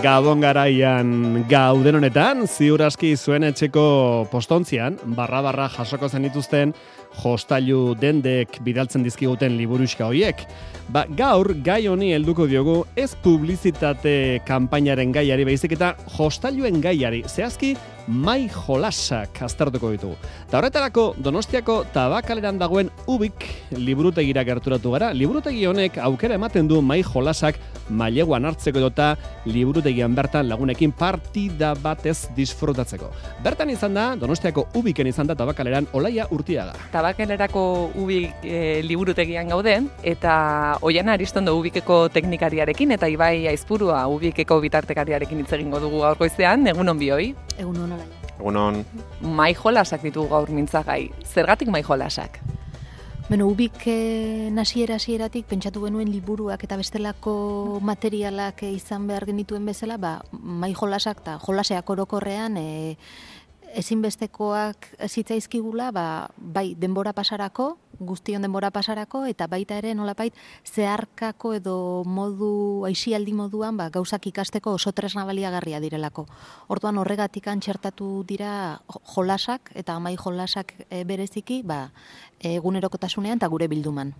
Gabon garaian gauden honetan, ziur aski zuen etxeko postontzian, barra jasoko zenituzten jostailu dendek bidaltzen dizkiguten liburuxka hoiek. Gaur gai honi helduko diogu ez publizitate kanpainaren gaiari baizik eta jostailuen gaiari, zehazki mai jolasak aztertuko ditugu. Ta horretarako Donostiako Tabakaleran dagoen Ubik liburutegira gerturatu gara. Liburutegi honek aukera ematen du mai jolasak maileguan hartzeko edota liburutegian bertan lagunekin partida batez disfrutatzeko. Bertan izan da, Donostiako Ubiken izan da Tabakaleran Olaia Urtiaga. Tabakalerako Ubik liburutegian gaude, eta Oiana Aristondo Ubikeko teknikariarekin eta Ibai Aizpurua Ubikeko bitartekariarekin hitz egingo dugu gaur goizean. Egunon bioi. Egunon Olaia. Egunon. Mai jolasak ditugu gaur mintzagai. Zergatik mai jolasak? Ubik hasieratik pentsatu genuen liburuak eta bestelako materialak izan behar genituen bezala, mai jolasak eta jolaseak orokorrean ezinbestekoak zitzaizkigula, bai denbora pasarako, guztion denbora pasarako, eta baita ere nolapait zeharkako edo modu, aisialdi moduan gauzak ikasteko oso tresna baliagarria direlako. Orduan horregatik txertatu dira jolasak eta mai jolasak bereziki egunerokotasunean eta gure bilduman.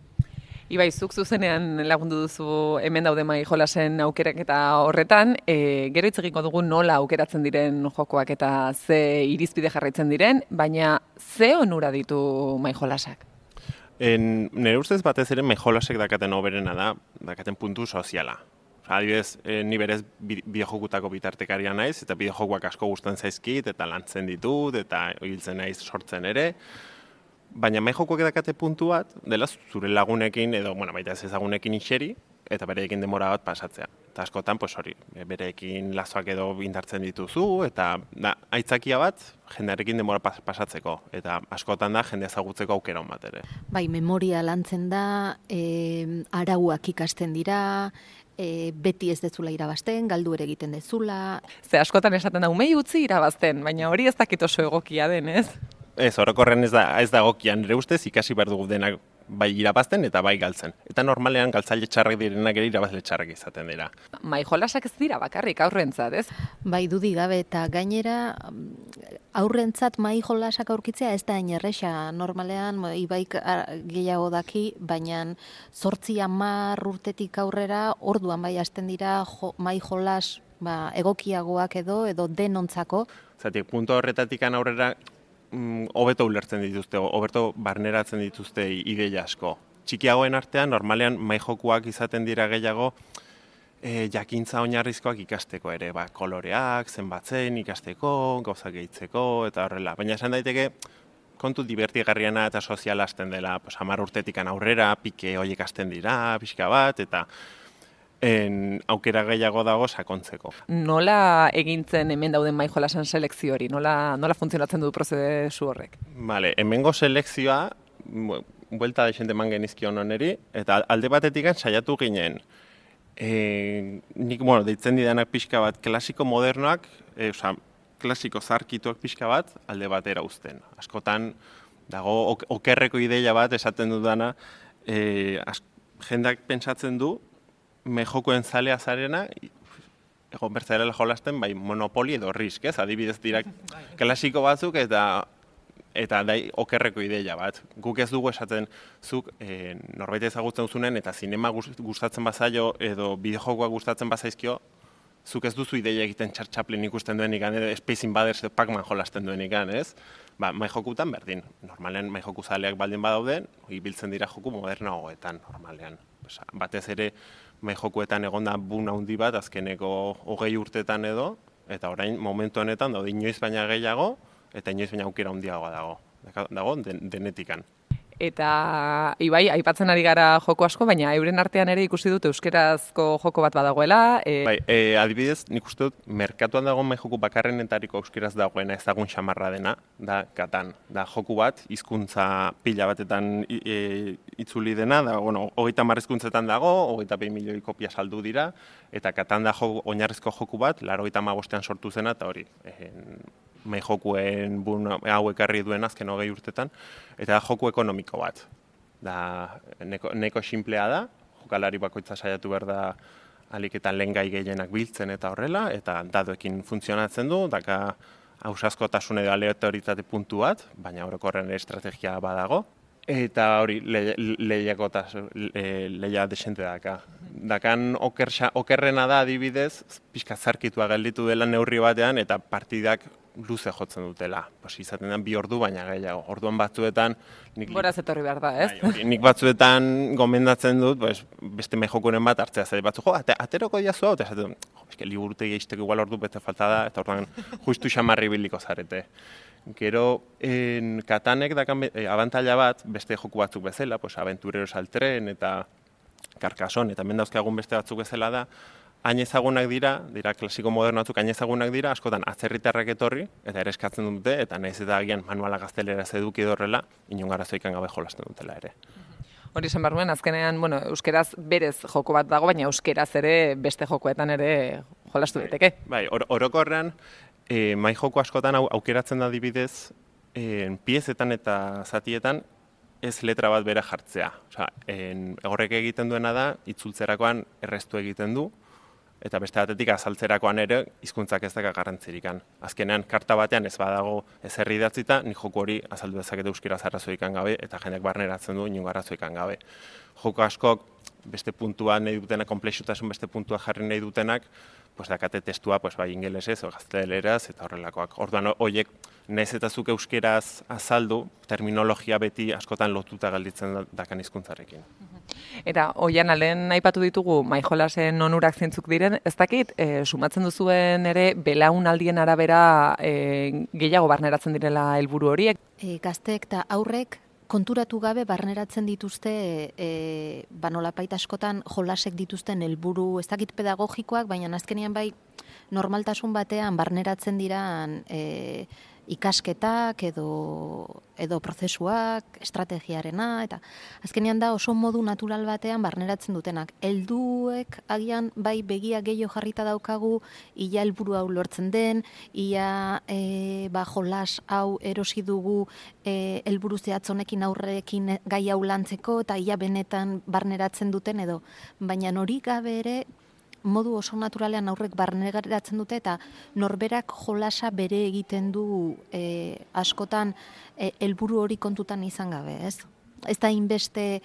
Ibai, zuk zuzenean lagundu duzu hemen daude mai jolasen aukerak eta horretan, gero hitz egingo dugu nola aukeratzen diren jokoak eta ze irizpide jarraitzen diren, baina ze onura ditu mai jolasak? Nire ustez batez ere mai jolasek dakaten oberena dakaten puntu soziala. Adibidez, ni berez bideojokutako bitartekaria naiz, eta bideojokuak asko gustatzen zaizkit, eta lantzen ditut, eta hiltzen naiz sortzen ere. Baina mai jokoak dakate puntu bat, dela zure lagunekin, edo baita ez ezagunekin iseri, eta bereekin denbora bat pasatzea. Eta askotan, bereekin lazoak edo indartzen dituzu, eta aitzakia bat, jendearekin denbora pasatzeko. Eta askotan da, jende ezagutzeko aukera bat ere. Bai, memoria lantzen da, arauak ikasten dira, beti ez dezula irabazten, galdu ere egiten dezula. Ze askotan esaten da, umei utzi irabazten, baina hori ez dakit oso egokia den, ez? Ez, orokorren ez da egokia, nire ustez ikasi behar dugu denak bai irabazten eta bai galtzen. Eta normalean galtzaile txarrak direnak ere irabazle txarrak izaten dira. Mai jolasak ez dira bakarrik aurrentzat, ez? Bai, dudik gabe eta gainera aurrentzat mai jolasak aurkitzea ez da erresa. Normalean Ibaik gehiago daki, baina 8-10 urtetik aurrera orduan bai hasten dira mai jolas egokiagoak edo denontzako. Zatik, puntu horretatik aurrera hobeto ulertzen dituzte, hobeto barneratzen dituzte ideia asko. Txikiagoen artean, normalean mai jokuak izaten dira gehiago jakintza oinarrizkoak ikasteko ere, koloreak, zenbatzen ikasteko, gauzak gehitzeko, eta horrela. Baina esan daiteke, kontu divertigarriana eta soziala hasten dela, 10 urtetik aurrera, pike horiek hasten dira, pixka bat, eta aukera gehiago dago sakontzeko. Nola egintzen hemen dauden mai jolasen selekzio hori? Nola funtzionatzen du prozesu horrek? Bale, hemengo selekzioa, buelta deixente eman genizkion honeri, eta alde batetik saiatu ginen, nik, deitzen didanak pixka bat, klasiko modernoak, klasiko zarkituak pixka bat, alde batera uzten. Askotan, dago, okerreko ideia bat esaten dudana, jendak pentsatzen du, mejokoen zalea zarena, egon bertzarela jolasten, Monopoly edo Risk, ez? Adibidez dira klasiko batzuk eta okerreko ideia bat. Guk ez dugu esaten zuk norbait ezagutzen duzunen eta zinema gustatzen bazaio edo bideojokoak gustatzen bazaizkio, zuk ez duzu ideia egiten Chaplin ikusten duenik, edo Space Invaders edo Pac-Man jolasten duenik, ez? Mai jokutan berdin. Normalean mai joku zaleak baldin badauden, ibiltzen dira joku modernagoetan, normalean. Batez ere, mai jokuetan egonda bun handi bat, azkeneko 20 urtetan edo, eta orain momentu honetan daude inoiz baina gehiago, eta inoiz baina aukera handiagoa dago denetikan. Eta Ibai, aipatzen ari gara joko asko, baina euren artean ere ikusi dut euskerazko joko bat badagoela. Adibidez, nik uste dut, merkatuan dago mai joku bakarrenetariko euskeraz dagoena ezagun xamarra dena, da Katan. Da joku bat, hizkuntza pila batetan itzuli dena, da, 30 hizkuntzetan dago, 22 milioi kopia saldu dira, eta Katan da oinarrizko joku bat, 95ean sortu zena, eta hori, mai jokuen hau ekarri duen azken 20 urtetan, eta joku ekonomiko bat. Da, neko simplea da, jokalari bakoitza saiatu behar da alik eta lehengai gehienak biltzen eta horrela, eta dadoekin funtzionatzen du, daka ausazkotasun edo aleatoritate puntu bat, baina orokorren estrategia badago. Eta hori, lehia desente daka. Dakan okerrena da adibidez, pixka zarkitua gelditu dela neurri batean, eta partidak luze jotzen dutela. Izaten den 2 ordu, baina gehiago. Orduan batzuetan... Boraz etorri behar da, ez? Nik batzuetan gomendatzen dut, beste mejokuren bat hartzea zait batzu, ateroko diazu hau, eta esaten dut, liburutegi eisteko igual ordu bete falta da, eta orduan justu xamarri biliko zarete. Gero, Katanek dakan abantaila bat, beste joku batzuk bezala, Aventureros al tren eta Carcassonne, eta hemen dauzkagun beste batzuk bezala da, hain ezagunak dira klasiko moderno batzuk hain ezagunak dira, askotan atzerritarrak etorri, eta ere eskatzen dute, eta nahiz eta agian manuala gaztelera eduki dorrela, inon arazoikan gabe jolasten dutela ere. Hori esan behar nuen, azkenean, euskeraz berez joko bat dago, baina euskeraz ere beste jokoetan ere jolastu daiteke. Bai, orokorrean, mai joko askotan aukeratzen da adibidez, piezetan eta zatietan ez letra bat bera jartzea. Horrek egiten duena da, itzultzerakoan erreztu egiten du, eta beste batetik azaltzerakoan ere hizkuntzak ez daka garrantzirikan. Azkenean, karta batean ez badago ezer idatzita, nik joko hori azaldu dezakete euskaraz arrazoikan gabe, eta jendeak barneratzen du inongo arrazoikan gabe. Joko askok beste puntua nahi dutenak, konplexutasun beste puntua jarri nahi dutenak, dakate testua bai ingelesez, gazteleraz, eta horrelakoak. Orduan, horiek, nahiz eta zuk euskeraz azaldu, terminologia beti askotan lotuta gelditzen dakan hizkuntzarekin. Eta hoian alen aipatu ditugu maijolasen onurak zeintzuk diren, ez dakit, sumatzen duzuen ere belaunaldien arabera gehiago barneratzen direla helburu horiek. Gazteek eta aurrek konturatu gabe barneratzen dituzte nolapait askotan jolasek dituzten helburu ez dakit pedagogikoak, baina azkenean bai normaltasun batean barneratzen diran ikasketak edo prozesuak, estrategiarena, eta azkenean da oso modu natural batean barneratzen dutenak. Helduek agian bai begia gehiago jarrita daukagu, ia helburu hau lortzen den, ia jolas hau erosi dugu helburu zehatz honekin aurrekin gai hau lantzeko, eta ia benetan barneratzen duten edo, baina hori gabe ere modu oso naturalean aurrek barneratzen dute eta norberak jolasa bere egiten du askotan helburu hori kontutan izan gabe, ez? Ez da inbeste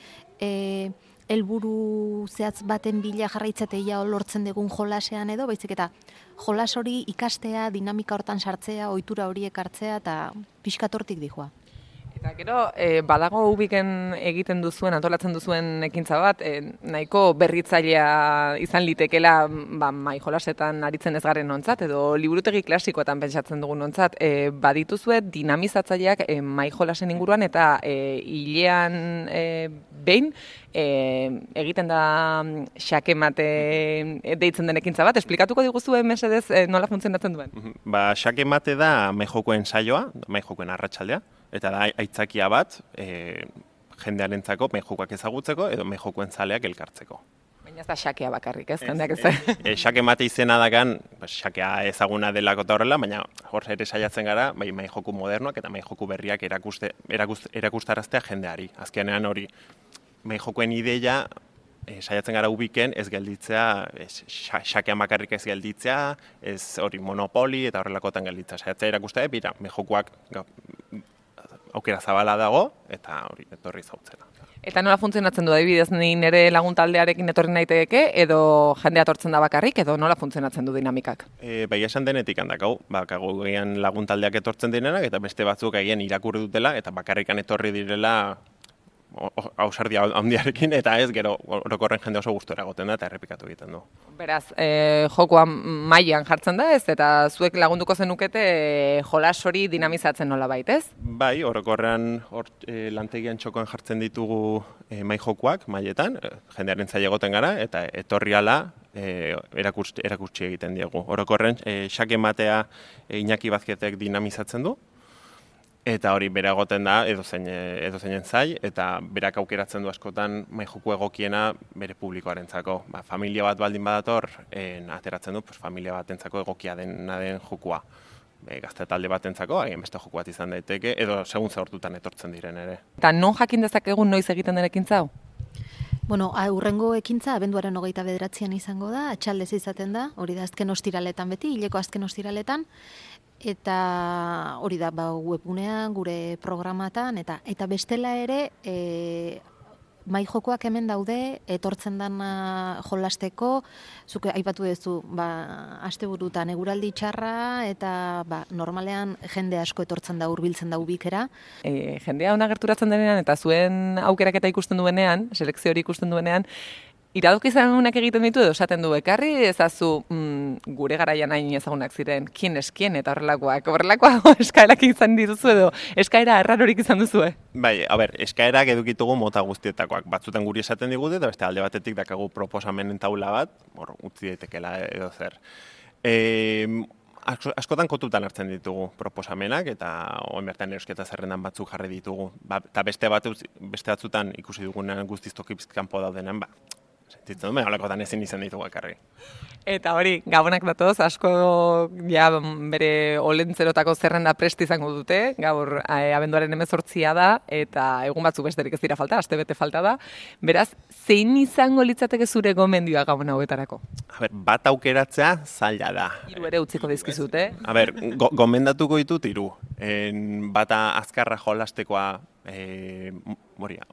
helburu zehatz baten bila jarraitzateia lortzen dugun jolasean edo, baizik eta jolas hori ikastea, dinamika hortan sartzea, ohitura horiek hartzea eta pixkatortik dijoa. Eta gero, badago ubiken egiten duzuen, antolatzen duzuen ekintza bat, nahiko berritzailea izan litekela maijolasetan aritzen ez garen nontzat, edo liburutegi klasikoetan pentsatzen dugun nontzat, badituzue dinamizatzaileak maijolasen inguruan eta hilean behin egiten da xakemate deitzen den ekintza bat. Esplikatuko diguzue mesedez nola funtzionatzen duen? Xakemate da maijokoen saioa, maijokoen arratsaldea, eta da aitzakia bat jendearentzako maijokoak ezagutzeko edo maijokoen zaleak elkartzeko. Baina ez da xakea bakarrik, ez? Jendeak ez. Xakemate izena dakan, xakea ezaguna delako eta horrela, baina hor ere saiatzen gara, bai maijoku modernoak eta maijoku berriak erakustaraztea jendeari. Azkenean hori maijokoen ideia saiatzen gara ubiken ez gelditzea, xakean bakarrik ez gelditzea, ez hori monopoli eta horrelakotan gelditzea. Saiatzea erakustea, bira, maijokoak aukera zabala dago eta hori etorri zautzera. Eta nola funtzionatzen du adibidez ni nire lagun taldearekin etorri naiteke edo jendea etortzen da bakarrik edo nola funtzionatzen du dinamikak? Bai esan denetik handakau, bakago gehian lagun taldeak etortzen direnak eta beste batzuk egin irakurri dutela eta bakarrikan etorri direla ausardia handiarekin eta ez gero orokorren jende oso gustora egoten da eta errepikatu egiten du. Beraz, jokoan mailan jartzen da ez eta zuek lagunduko zenukete jolas hori dinamizatzen nolabait, ez? Bai, orokorrean lantegian txokoan jartzen ditugu mai jokoak mailetan, jendearen zaila egoten gara eta etorri ala erakutsi egiten diegu. Orokorren xakematea Iñaki Bazketek dinamizatzen du. Eta hori bera egoten da edozeinen zai, eta berak aukeratzen du askotan maijoku egokiena bere publikoarentzako. Familia bat baldin badator, ateratzen du familia batentzako egokia den jokua. Gazte talde batentzako, haien beste joku bat izan daiteke, edo segun zehortutan etortzen diren ere. Eta non jakin dezakegun noiz egiten den ekintza hau? Bueno, hurrengo ekintza abenduaren 29an izango da, atxaldez izaten da, hori da azken ostiraletan beti, hileko azken ostiraletan, eta hori da webgunean, gure programatan, eta bestela ere, mai jokoak hemen daude, etortzen dana jolasteko, zuke aipatu duzu, asteburutan eguraldi txarra, eta normalean jende asko etortzen da hurbiltzen da ubikera. Jendea ona gerturatzen denean, eta zuen aukeraketa ikusten duenean, selekzio hori ikusten duenean, iradoki ezagunak egiten ditu edo esaten du, ekarri ezazu gure garaian hain ezagunak ziren, kien eskien eta horrelakoak eskaerak izan dituzu edo eskaera errarorik izan duzue? Bai, eskaerak edukitugu mota guztietakoak. Batzutan guri esaten digute, eta beste alde batetik dakagu proposamenen taula bat, utzi daitekela edo zer. Askotan kontutan hartzen ditugu proposamenak, eta oin bertan erosketa zerrendan batzuk jarri ditugu. Eta beste batzutan ikusi dugunean guztiz tokipizkanpo daudenean, sentitzen duen, holakotan ezin izan ditugu ekarri. Eta hori, gabonak datoz, asko bere olentzerotako zerrenda prest izango dute, gaur abenduaren 18 da, eta egun batzuk besterik ez dira falta, aste bete falta da. Beraz, zein izango litzateke zure gomendioa gabon hauetarako? Bat aukeratzea zaila da. 3 ere utziko dizkizute. Gomendatuko ditut 3. Bata azkarra jolastekoa,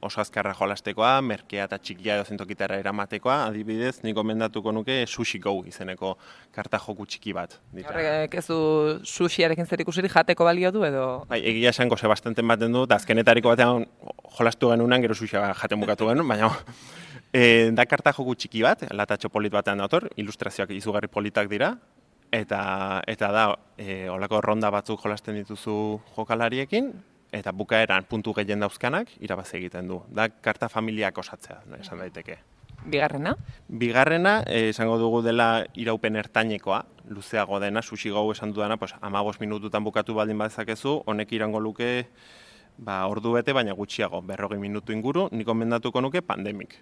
oso azkarra jolastekoa, merkea eta txikia edo zentokitara eramatekoa, adibidez, nik gomendatuko nuke Sushi Go izeneko karta joku txiki bat. Horrek ez du sushiarekin zer ikusirik jateko balio du edo? Bai, egia esango bastanten baten du, eta azkenetariko batean jolastu genunan, gero sushia jaten bukatu genuen, baina da karta joku txiki bat, latatxo polit batean dator, ilustrazioak izugarri politak dira, eta da, holako ronda batzuk jolasten dituzu jokalariekin, eta bukaeran puntu gehien dauzkanak irabazi egiten du. Da karta familiak osatzea, esan daiteke. Bigarrena? Bigarrena, esango dugu dela iraupen ertainekoa, luzeago dena, Sushi Go esan dudana, 15 minututan bukatu baldin badezakezu, honek irango luke ordu bete, baina gutxiago, 40 minutu inguru, nik gomendatuko nuke Pandemic.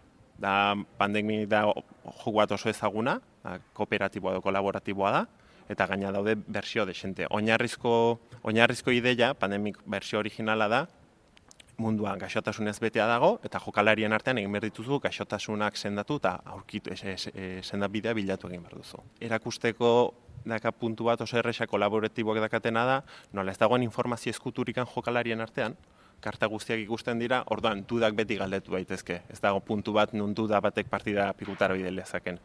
Pandemic da joku bat oso ezaguna, kooperatiboa edo kolaboratiboa da, eta gaina daude bersio desente. Oinarrizko ideia, Pandemic bersio originala da, munduan gaixotasunez betea dago, eta jokalarien artean egin behar dituzu gaixotasunak sendatu eta aurkitu sendabidea bilatu egin behar duzu. Erakusteko daka puntu bat oso erresa kolaboratiboak dakatena da, nola ez dagoen informazio ezkuturikan jokalarien artean, karta guztiak ikusten dira, orduan dudak beti galdetu daitezke. Ez dago puntu bat nun duda batek partida pikutara bide lezaken.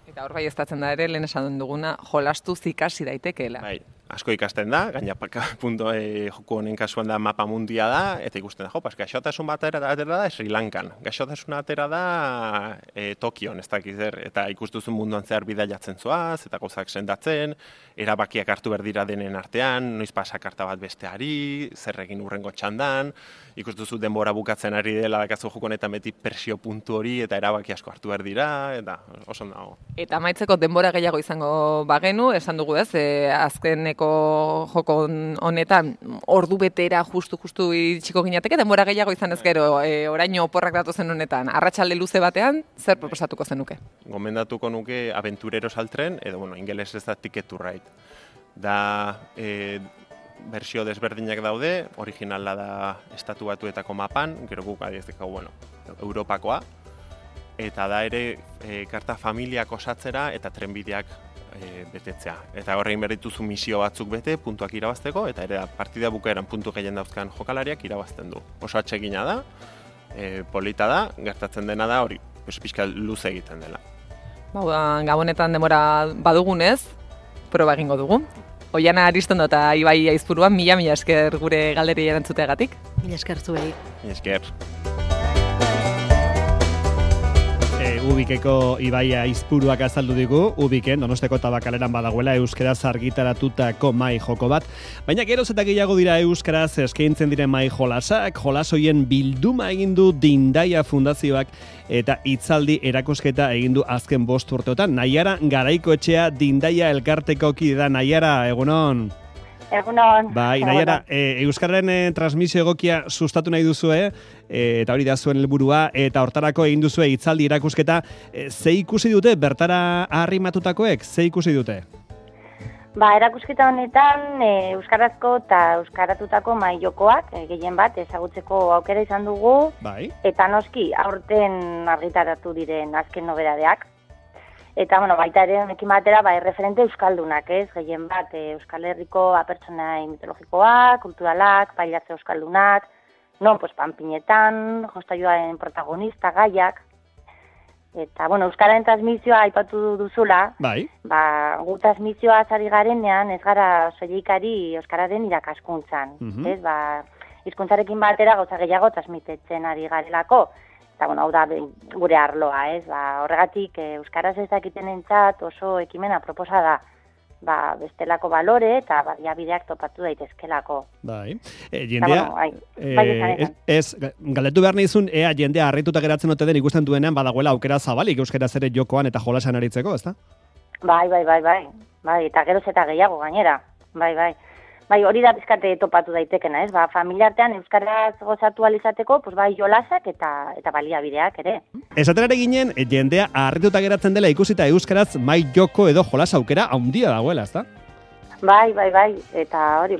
Eta hor bai estatzen da ere, lehen esan duguna, jolastuz ikasi daitekeela. Bai, asko ikasten da, gaina joku honen kasuan da mapa mundia da, eta ikusten da, gaixotasun bat atera da Sri Lankan, gaixotasuna atera da Tokion, ez dakiz zer, eta ikustuzun munduan zehar bidaiatzen zoaz, eta gauzak sendatzen, erabakiak hartu behar dira denen artean, noiz pasakarta bat besteari, zer egin urrengo txandan, ikustuzu denbora bukatzen ari dela dakazu joko honetan beti presio puntu hori, eta erabaki asko hartu behar dira, eta oso dago. Eta amaitzeko denbora gehiago izango bagenu, esan dugu ez, azkeneko joko honetan ordu betera justu itxiko ginateke, denbora gehiago izan ez gero, oraino oporrak datozen honetan, arratsalde luze batean, zer proposatuko zenuke? Gomendatuko nuke Aventureros al tren, edo, ingeles ez da Ticket to Ride. Da, bersio desberdinak daude, originala da Estatu Batuetako mapan, gero guk adiezteko, Europakoa, eta da ere karta familiak osatzera eta trenbideak betetzea. Eta horrein berdituzu misio batzuk bete, puntuak irabazteko, eta ere partida bukaeran puntu gehien dauzkan jokalariak irabazten du. Oso atsegina da, polita da, gertatzen dena da hori, pixka luze egiten dela. Gabonetan denbora badugunez, proba egingo dugu. Oiana Aristondo eta Ibai Aizpuruan, mila esker gure galderi erantzuteagatik. Mila esker zuei. Mila esker. Ubikeko Ibai Aizpuruak azaldu digu, Ubiken Donosteko Tabakaleran badagoela euskaraz argitaratutako mai joko bat, baina geroz eta gehiago dira euskaraz eskaintzen diren mai jolasak, jolasoien bilduma egin du Dindaia Fundazioak eta hitzaldi erakusketa egin du azken 5 urteotan. Naiara Garaikoetxea Dindaia elkarteko kide da. Naiara, egunon. Egunon. Bai, Naiara, euskararen transmisio egokia sustatu nahi duzue, eta hori da zuen helburua, eta hortarako egin duzue hitzaldi erakusketa. Ze ikusi dute bertara arrimatutakoek? Ze ikusi dute? Erakusketa honetan euskarazko eta euskaratutako mahai jokoak gehien bat ezagutzeko aukera izan dugu, Bai. eta noski aurten argitaratu diren azken nobedadeak. Eta baita ere honekin batera erreferente euskaldunak, ez? Gehien bat Euskal Herriko pertsonai mitologikoak, kulturalak, pailatze euskaldunak, panpinetan, jostailuaren protagonista gaiak. Eta, euskaren transmisioa aipatu duzula, Bai. gu transmisioa ari garenean ez gara soilikari euskararen irakaskuntzan. Ez, hizkuntzarekin batera gauza gehiago transmitetzen ari garelako. Eta, hau da gure arloa, ez, horregatik euskaraz ez dakitenentzat oso ekimena proposa da. Bestelako balore eta baliabideak topatu daitezkelako. Bai. Jendea, galdetu behar nizun, jendea harrituta geratzen ote den ikusten duenean badagoela aukera zabalik euskaraz ere jokoan eta jolasan aritzeko, ezta? Bai, eta geroz eta gehiago gainera. Bai, hori da bizkate topatu daitekena, ez? Familiartean euskaraz gozatu alizateko, jolasak eta baliabideak ere. Esaten ere ginen, jendea harrituta geratzen dela ikusita euskaraz mai joko edo jolas aukera handia dagoela, ezta? Bai, eta hori,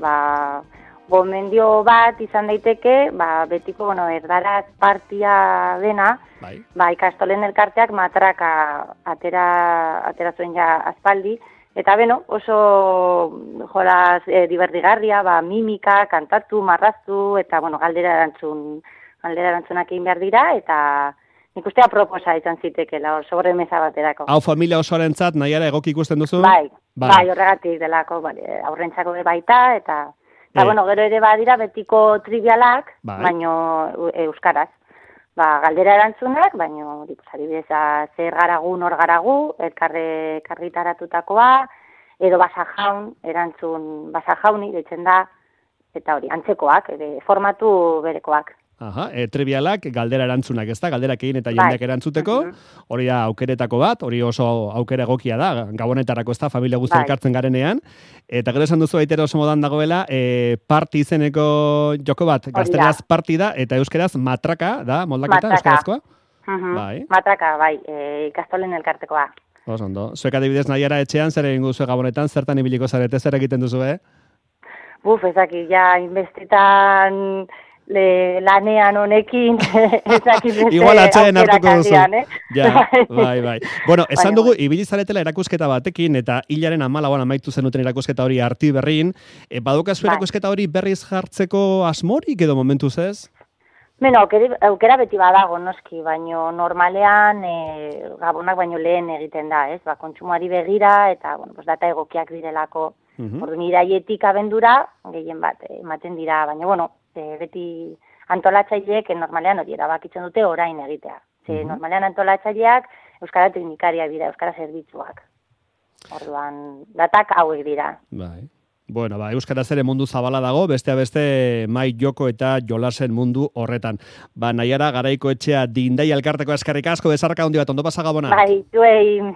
gomendio bat izan daiteke, betiko, erdaraz partia dena, ikastolen elkarteak matraka atera zuen ja aspaldi, eta oso jolas divertigarria, mimika, kantatu, marraztu, eta galdera erantzunak egin behar dira, eta nik ustea proposa izan zitekela, sobremesa baterako. Hau familia osoarentzat nahiara egoki ikusten duzu? Bai, horregatik delako, aurrentzako baita, eta gero ere badira betiko trivialak, baino euskaraz. Galdera erantzunak, baino, adibidez, zer garagu, nor garagu, elkarritaratutakoa, edo erantzun basajauni, deitzen da, eta hori, antzekoak, formatu berekoak. Trivialak, galdera erantzunak, ez da? Galderak egin eta jendeak erantzuteko, hori da aukeretako bat, hori oso aukera egokia da, gabonetarako ez da, familia guzti elkartzen garenean, eta gero esan duzu baitera oso modan dagoela, parti izeneko joko bat, gazteraz partida, eta euskeraz matraka, da, moldaketa, euskarazkoa? Matraka, ikastolen elkartekoa. Oso ondo, zuek adibidez nahiara etxean, zer egin guzu gabonetan, zertan ibiliko zarete, zer egiten duzu, Ezaki, inbestitan lanean honekin igual atxeen hartuko duzu. Bai. Bueno, esan dugu, ibili zaretela erakusketa batekin, eta hilaren 14 amaitu zenuten erakusketa hori Artiberrin. Badukazu erakusketa hori berriz jartzeko asmorik edo momentuz ez? Aukera beti badago, noski, baino normalean gabonak baino lehen egiten da, ez? Kontsumoari begira, eta data egokiak direlako. Orduan iraietik abendura, gehien bat, ematen dira, baina, beti antolatzaileek normalean hori erabakitzen dute orain egitea. Normalean antolatzaileak euskara teknikariak dira, euskara zerbitzuak. Orduan, datak hauek dira. Bai. Bueno, euskaraz ere mundu zabala dago, bestea beste mai joko eta jolasen mundu horretan. Nahiara Garaiko etxea Dindai elkarteko eskerrik asko, bezarraka handi bat, ondo pasa Gabona. Zuei.